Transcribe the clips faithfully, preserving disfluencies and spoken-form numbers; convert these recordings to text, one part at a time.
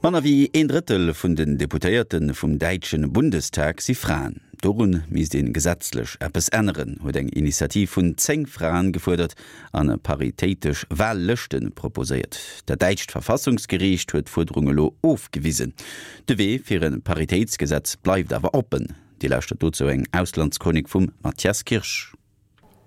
Manner wéi een Drëttel vun den Deputéierte vum däitsche Bundestag si Fraen. Dorun misst ee gesetzlech eppes änneren, huet eng Initiativ vun zéng Fraen gefuerdert an paritéitesch Wahllëschte proposéiert. Dat däitscht Verfassungsgeriicht huet d'Fuerderung elo ofgewisen. De Wee fir e Paritéitsgesetz bleift awer oppen. Dir lauschtert dozou eng Auslandschronik vum Mathias Kirsch.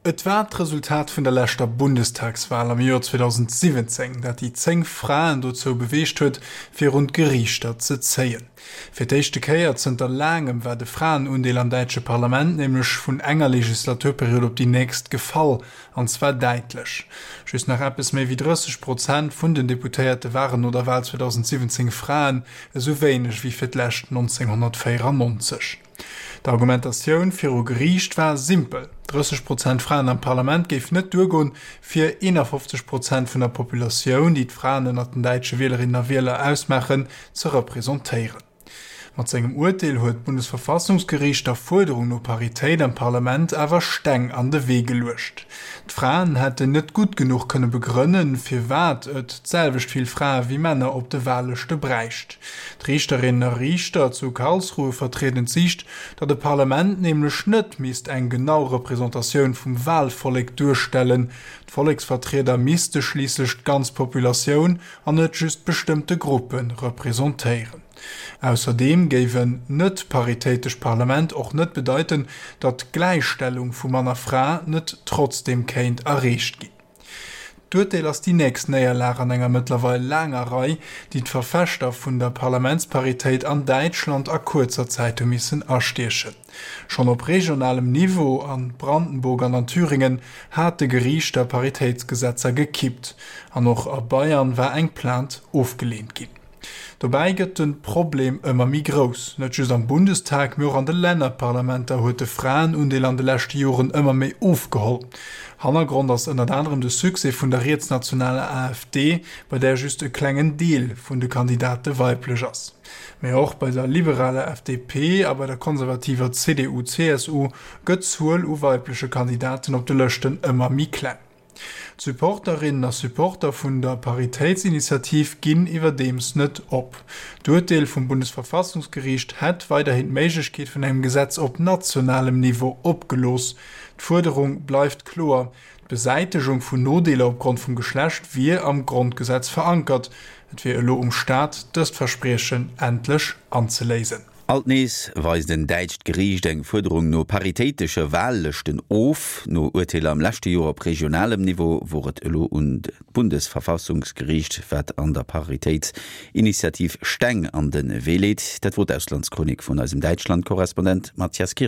Et war d'Resultat vun der leschter Bundestagswal am Joer zweedausendsiwwenzéng, dat déi zéng Fraen dozou beweegt huet, virun d'Geriichter ze zéien. Fir d'éischte Kéier zënter laangem war de Fraenundeel am däitsche Parlament nämlech vun enger Legislaturperiod op déi nächst gefall, an zwar däitlech. Just nach eppes méi wéi drësseg Prozent vun den Deputéierte waren no der Wal zweedausendsiwwenzéng Fraen, esou wéineg wéi fir d'lescht nonzénghonnertvéierannonzeg. D'Argumentatioun viru Geriicht war simpel, drësseg Prozent Fraen am Parlament géif net duergoen, fir eenafofzeg Prozent vun der Populatioun, déi d'Fraen ënnert den däitsche Wielerinnen a Wieler ausmaachen, ze representéieren. Mat sengem Urteel huet d'Bundesverfassungsgeriicht der Fuerderung no Paritéit am Parlament awer Steng an de Wee geluecht. D'Fraen hätten net gutt genuch kënne begrënnen, firwat et d'selwecht vill Frae wéi Männer op de Wahllëschte bräicht. D'Riichterinnen a Riichter zu Karlsruhe vertrieden d'Siicht, datt e Parlament nämlech net misst eng genau Representatioun vum Wahlvollek duerstellen. D'Volleksvertrieder misste schliisslech d'ganz Populatioun an net just bestëmmte Gruppe representéieren. Ausserdeem géif en net paritéitescht Parlament och net bedeiten, datt d'Gläichstellung vu Mann a Fra net trotzdeem kéint erreecht ginn. D'Urteel ass déi nächst Néierlag an enger mëttlerweil laanger Rei, déi d'Verfechter vun der Parlamentsparitéit an Däitschland a kuerzer Zäit hu missen astiechen. Schonn op regionalem Niveau, a Brandenburg an an Thüringen, hate Geriichter Paritéitsgesetzer gekippt. An och a Bayern war eng Plainte ofgeleent ginn. Dobäi gëtt de Problem ëmmer méi grouss. Net just am Bundestag, mee och an de Lännerparlamenter huet de Fraenundeel an de leschte Joren ëmmer méi ofgeholl. Hannergrond ass ënnert anerem de Succès vun der rietsnationaler A F D, bei där just e klengen Deel vun de Kandidate weiblech ass. Mee och bei der liberaler F D P a bei der konservativer C D U C S U gëtt d'Zuel u weibleche Kandidaten op de Lëschten ëmmer méi kleng. D'Supporterinnen a Supporter vun der Paritéitsinitiativ ginn iwwerdeems net op. D'Urteel vum Bundesverfassungsgeriicht hätt weiderhin d'Méiglechkeet vun engem Gesetz op nationalem Niveau opgelooss. D'Fuerderung bleift kloer, D'Besäitegung vun Nodeeler opgrond vum Geschlecht wier am Grondgesetz verankert. Et wier elo um Staat, dëst Verspriechen endlech anzeléisen. Alt nees weist en däitscht Geriicht eng Fuerderung no paritéitesche Wahllëschten of. No Urteeler am leschte Joer op regionalem Niveau wor et elo un d'Bundesverfassungsgeriicht, wat an der Paritéitsinitiativ Steng an de Wee leet. Dat wor d'Auslandschronik vun eisem Däitschland-Korrespondent Mathias Kirsch.